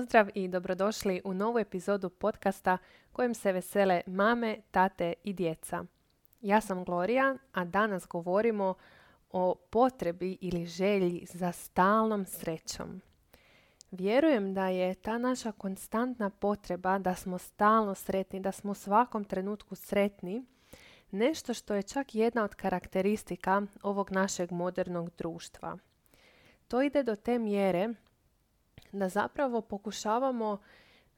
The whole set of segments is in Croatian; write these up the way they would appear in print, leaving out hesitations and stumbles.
Pozdrav i dobrodošli u novu epizodu podcasta kojem se vesele mame, tate i djeca. Ja sam Gloria, a danas govorimo o potrebi ili želji za stalnom srećom. Vjerujem da je ta naša konstantna potreba da smo stalno sretni, da smo u svakom trenutku sretni, nešto što je čak jedna od karakteristika ovog našeg modernog društva. To ide do te mjere da zapravo pokušavamo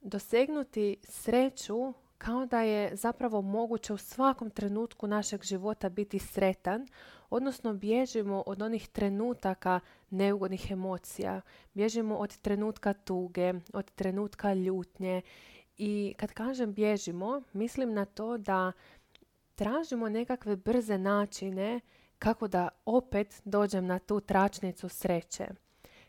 dosegnuti sreću kao da je zapravo moguće u svakom trenutku našeg života biti sretan, odnosno bježimo od onih trenutaka neugodnih emocija, bježimo od trenutka tuge, od trenutka ljutnje i kad kažem bježimo, mislim na to da tražimo nekakve brze načine kako da opet dođem na tu tračnicu sreće.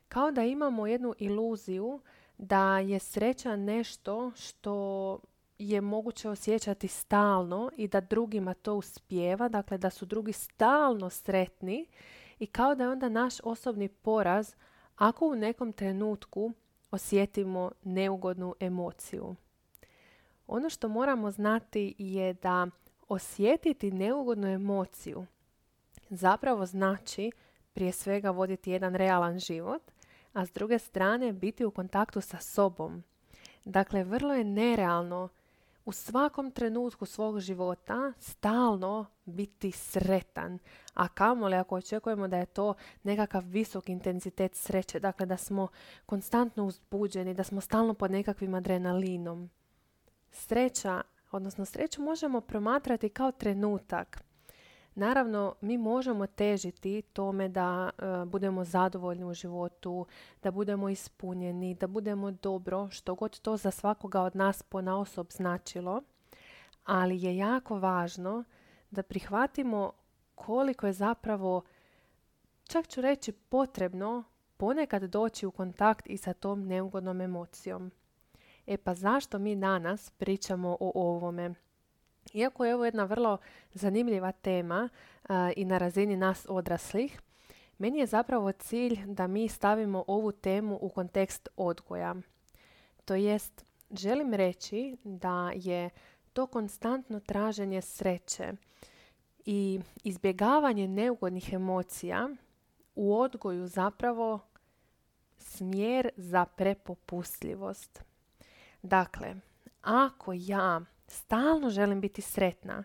Kao da imamo jednu iluziju da je sreća nešto što je moguće osjećati stalno i da drugima to uspijeva, dakle da su drugi stalno sretni i kao da je onda naš osobni poraz ako u nekom trenutku osjetimo neugodnu emociju. Ono što moramo znati je da osjetiti neugodnu emociju zapravo znači prije svega voditi jedan realan život, a s druge strane biti u kontaktu sa sobom. Dakle, vrlo je nerealno u svakom trenutku svog života stalno biti sretan, a kamoli ako očekujemo da je to nekakav visok intenzitet sreće, dakle da smo konstantno uzbuđeni, da smo stalno pod nekakvim adrenalinom. Sreću možemo promatrati kao trenutak. Naravno, mi možemo težiti tome da budemo zadovoljni u životu, da budemo ispunjeni, da budemo dobro, što god to za svakoga od nas ponaosob značilo, ali je jako važno da prihvatimo koliko je zapravo, čak ću reći, potrebno ponekad doći u kontakt i sa tom neugodnom emocijom. Pa zašto mi danas pričamo o ovome? Iako je ovo jedna vrlo zanimljiva tema i na razini nas odraslih, meni je zapravo cilj da mi stavimo ovu temu u kontekst odgoja. To jest, želim reći da je to konstantno traženje sreće i izbjegavanje neugodnih emocija u odgoju zapravo smjer za prepopustljivost. Dakle, ako ja stalno želim biti sretna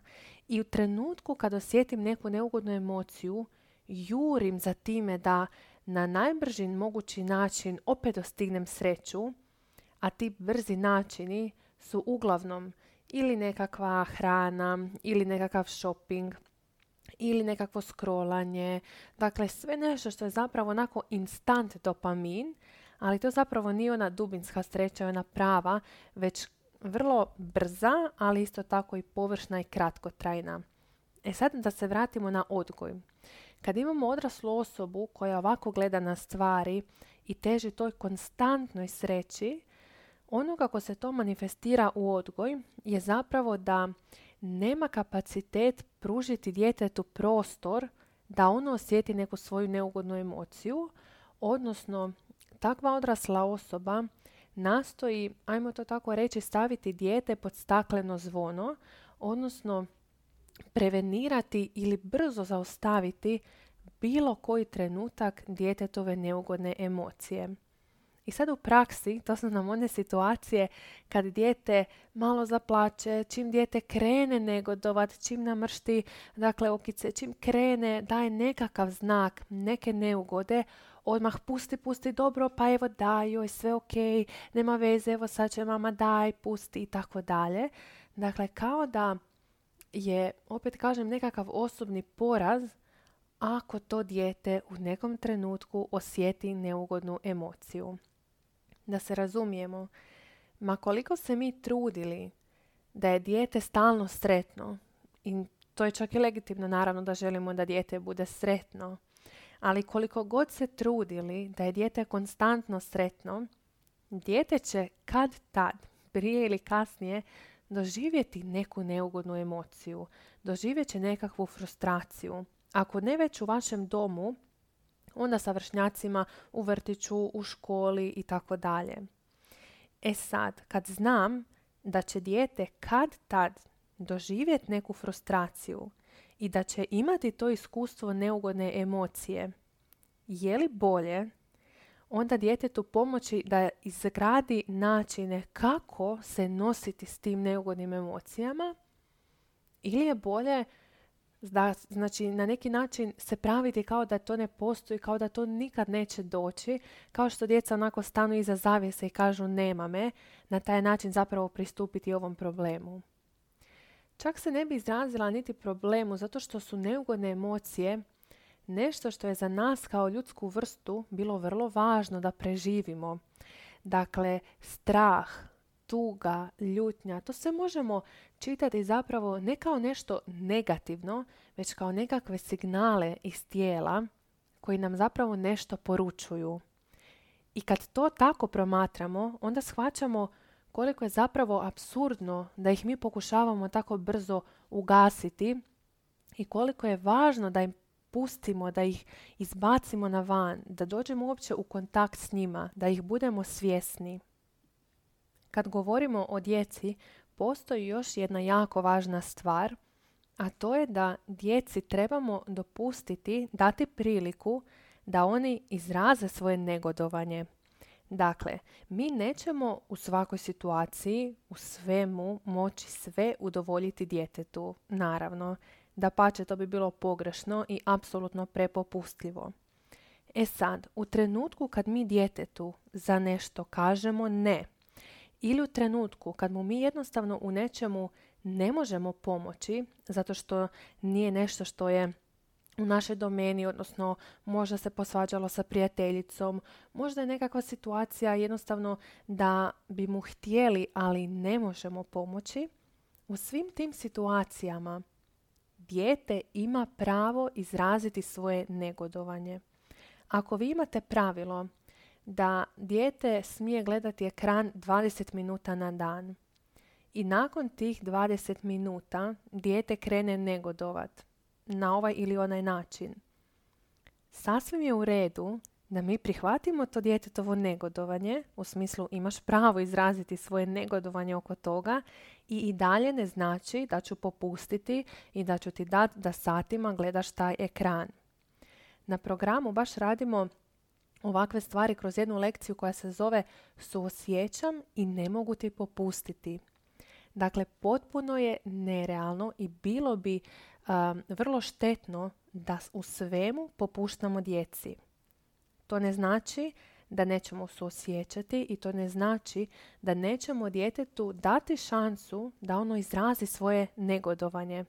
i u trenutku kad osjetim neku neugodnu emociju, jurim za time da na najbrži mogući način opet dostignem sreću, a ti brzi načini su uglavnom ili nekakva hrana, ili nekakav shopping, ili nekakvo scrollanje. Dakle, sve nešto što je zapravo onako instant dopamin, ali to zapravo nije ona dubinska sreća, ona prava, već vrlo brza, ali isto tako i površna i kratkotrajna. Sad da se vratimo na odgoj. Kad imamo odraslu osobu koja ovako gleda na stvari i teži toj konstantnoj sreći, ono kako se to manifestira u odgoj je zapravo da nema kapacitet pružiti djetetu prostor da ono osjeti neku svoju neugodnu emociju, odnosno takva odrasla osoba nastoji, ajmo to tako reći, staviti dijete pod stakleno zvono, odnosno prevenirati ili brzo zaustaviti bilo koji trenutak djetetove neugodne emocije. I sad u praksi, to su nam one situacije kad dijete malo zaplače, čim dijete krene negodovat, čim namršti, dakle okice, čim krene, daje nekakav znak, neke neugode, odmah pusti, dobro, pa evo daj, joj, sve ok, nema veze, evo sad će mama daj, pusti i tako dalje. Dakle, kao da je, opet kažem, nekakav osobni poraz ako to dijete u nekom trenutku osjeti neugodnu emociju. Da se razumijemo, ma koliko se mi trudili da je dijete stalno sretno, i to je čak i legitimno naravno da želimo da dijete bude sretno, ali koliko god se trudili da je dijete konstantno sretno, dijete će kad tad, prije ili kasnije, doživjeti neku neugodnu emociju, doživjet će nekakvu frustraciju. Ako ne već u vašem domu, onda sa vršnjacima u vrtiću, u školi i tako dalje. E sad, kad znam da će dijete kad tad doživjeti neku frustraciju i da će imati to iskustvo neugodne emocije, je li bolje onda djetetu pomoći da izgradi načine kako se nositi s tim neugodnim emocijama, ili je bolje da, znači, na neki način se praviti kao da to ne postoji, kao da to nikad neće doći, kao što djeca onako stanu iza zavjese i kažu nema me, na taj način zapravo pristupiti ovom problemu. Čak se ne bi izrazila niti problemu, zato što su neugodne emocije nešto što je za nas kao ljudsku vrstu bilo vrlo važno da preživimo. Dakle, strah, tuga, ljutnja, to sve možemo čitati zapravo ne kao nešto negativno, već kao nekakve signale iz tijela koji nam zapravo nešto poručuju. I kad to tako promatramo, onda shvaćamo koliko je zapravo apsurdno da ih mi pokušavamo tako brzo ugasiti i koliko je važno da im pustimo, da ih izbacimo na van, da dođemo uopće u kontakt s njima, da ih budemo svjesni. Kad govorimo o djeci, postoji još jedna jako važna stvar, a to je da djeci trebamo dopustiti, dati priliku da oni izraze svoje negodovanje. Dakle, mi nećemo u svakoj situaciji, u svemu, moći sve udovoljiti djetetu, naravno. Dapače, to bi bilo pogrešno i apsolutno prepopustljivo. E sad, u trenutku kad mi djetetu za nešto kažemo ne, ili u trenutku kad mu mi jednostavno u nečemu ne možemo pomoći, zato što nije nešto što je u našoj domeni, odnosno možda se posvađalo sa prijateljicom, možda je nekakva situacija jednostavno da bi mu htjeli, ali ne možemo pomoći, u svim tim situacijama dijete ima pravo izraziti svoje negodovanje. Ako vi imate pravilo da dijete smije gledati ekran 20 minuta na dan i nakon tih 20 minuta dijete krene negodovat na ovaj ili onaj način, sasvim je u redu da mi prihvatimo to djetetovo negodovanje, u smislu imaš pravo izraziti svoje negodovanje oko toga, i dalje ne znači da ću popustiti i da ću ti dati da satima gledaš taj ekran. Na programu baš radimo ovakve stvari kroz jednu lekciju koja se zove Suosjećam i ne mogu ti popustiti. Dakle, potpuno je nerealno i bilo bi vrlo štetno da u svemu popuštamo djeci. To ne znači da nećemo suosjećati i to ne znači da nećemo djetetu dati šansu da ono izrazi svoje negodovanje.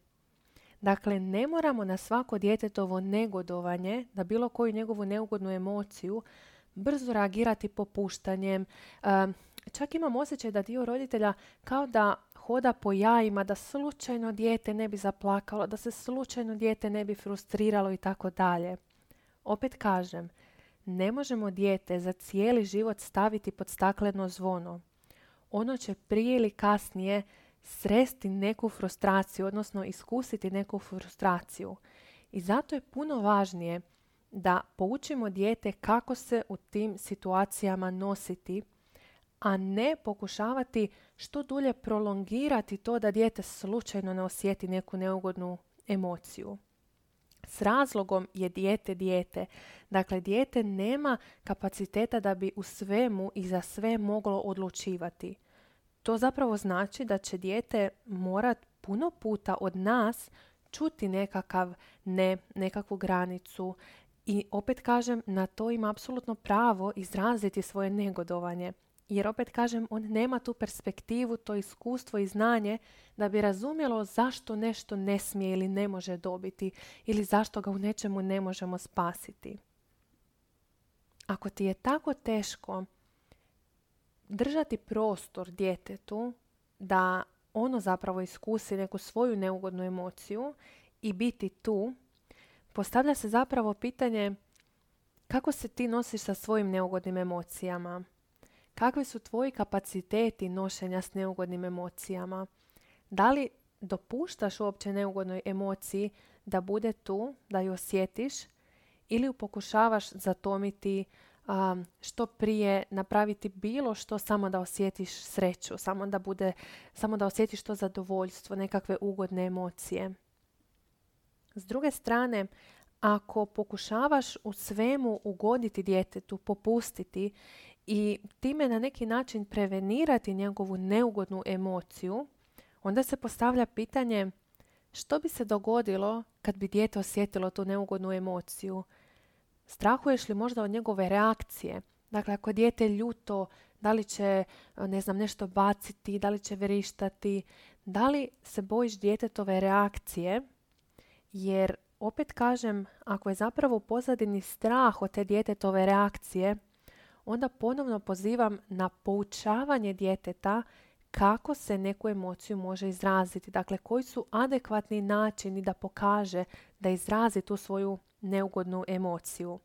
Dakle, ne moramo na svako djetetovo negodovanje, na bilo koju njegovu neugodnu emociju, brzo reagirati popuštanjem. Čak imam osjećaj da dio roditelja kao da hoda po jajima, da slučajno dijete ne bi zaplakalo, da se slučajno dijete ne bi frustriralo i tako dalje. Opet kažem, ne možemo dijete za cijeli život staviti pod stakleno zvono. Ono će prije ili kasnije sresti neku frustraciju, odnosno iskusiti neku frustraciju. I zato je puno važnije da poučimo dijete kako se u tim situacijama nositi, a ne pokušavati što dulje prolongirati to da dijete slučajno ne osjeti neku neugodnu emociju. S razlogom je dijete. Dakle, dijete nema kapaciteta da bi u svemu i za sve moglo odlučivati. To zapravo znači da će dijete morat puno puta od nas čuti nekakav ne, nekakvu granicu, i opet kažem, na to ima apsolutno pravo izraziti svoje negodovanje. Jer opet kažem, on nema tu perspektivu, to iskustvo i znanje da bi razumjelo zašto nešto ne smije ili ne može dobiti ili zašto ga u nečemu ne možemo spasiti. Ako ti je tako teško držati prostor djetetu da ono zapravo iskusi neku svoju neugodnu emociju i biti tu, postavlja se zapravo pitanje kako se ti nosiš sa svojim neugodnim emocijama. Kakvi su tvoji kapaciteti nošenja s neugodnim emocijama? Da li dopuštaš uopće neugodnoj emociji da bude tu, da ju osjetiš, ili ju pokušavaš zatomiti, što prije napraviti bilo što samo da osjetiš sreću, samo da osjetiš to zadovoljstvo, nekakve ugodne emocije. S druge strane, ako pokušavaš u svemu ugoditi djetetu, popustiti i time na neki način prevenirati njegovu neugodnu emociju, onda se postavlja pitanje što bi se dogodilo kad bi dijete osjetilo tu neugodnu emociju. Strahuješ li možda od njegove reakcije? Dakle, ako je dijete ljuto, da li će nešto baciti, da li će verištati, da li se bojiš djetetove reakcije? Jer, opet kažem, ako je zapravo u pozadini strah od te djetetove reakcije, onda ponovno pozivam na poučavanje djeteta kako se neku emociju može izraziti. Dakle, koji su adekvatni načini da pokaže, da izrazi tu svoju neugodnu emociju.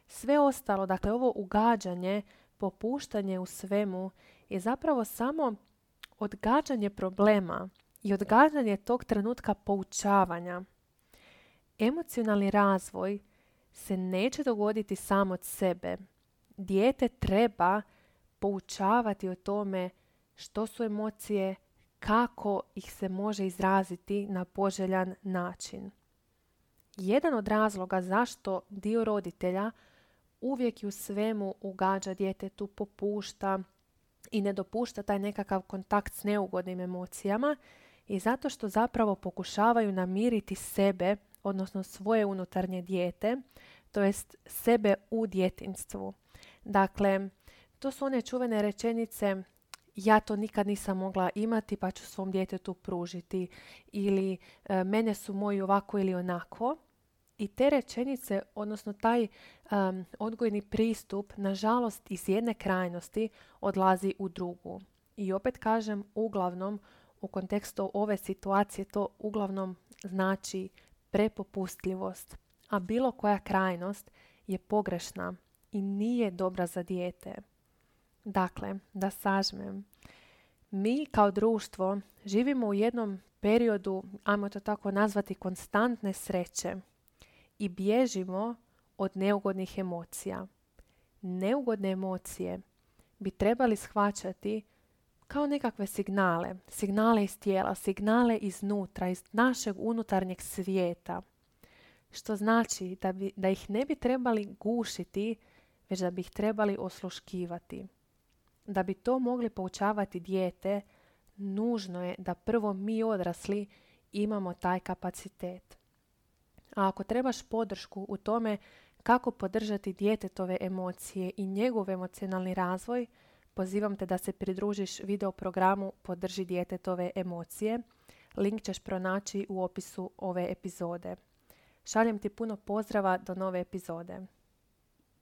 Sve ostalo, dakle ovo ugađanje, popuštanje u svemu je zapravo samo odgađanje problema i odgađanje tog trenutka poučavanja. Emocionalni razvoj se neće dogoditi sam od sebe. Dijete treba poučavati o tome što su emocije, kako ih se može izraziti na poželjan način. Jedan od razloga zašto dio roditelja uvijek i u svemu ugađa djetetu, popušta i ne dopušta taj nekakav kontakt s neugodnim emocijama je zato što zapravo pokušavaju namiriti sebe, odnosno svoje unutarnje dijete, to jest sebe u djetinjstvu. Dakle, to su one čuvene rečenice ja to nikad nisam mogla imati pa ću svom djetetu pružiti ili mene su moji ovako ili onako. I te rečenice, odnosno taj odgojni pristup, nažalost iz jedne krajnosti odlazi u drugu. I opet kažem, uglavnom, u kontekstu ove situacije to uglavnom znači prepopustljivost. A bilo koja krajnost je pogrešna i nije dobra za dijete. Dakle, da sažmem, mi kao društvo živimo u jednom periodu, ajmo to tako nazvati, konstantne sreće i bježimo od neugodnih emocija. Neugodne emocije bi trebali shvaćati kao nekakve signale iz tijela, signale iznutra, iz našeg unutarnjeg svijeta. Što znači da ih ne bi trebali gušiti, već da bi ih trebali osluškivati. Da bi to mogli poučavati dijete, nužno je da prvo mi odrasli imamo taj kapacitet. A ako trebaš podršku u tome kako podržati djetetove emocije i njegov emocionalni razvoj, pozivam te da se pridružiš video programu Podrži djetetove emocije. Link ćeš pronaći u opisu ove epizode. Šaljem ti puno pozdrava do nove epizode.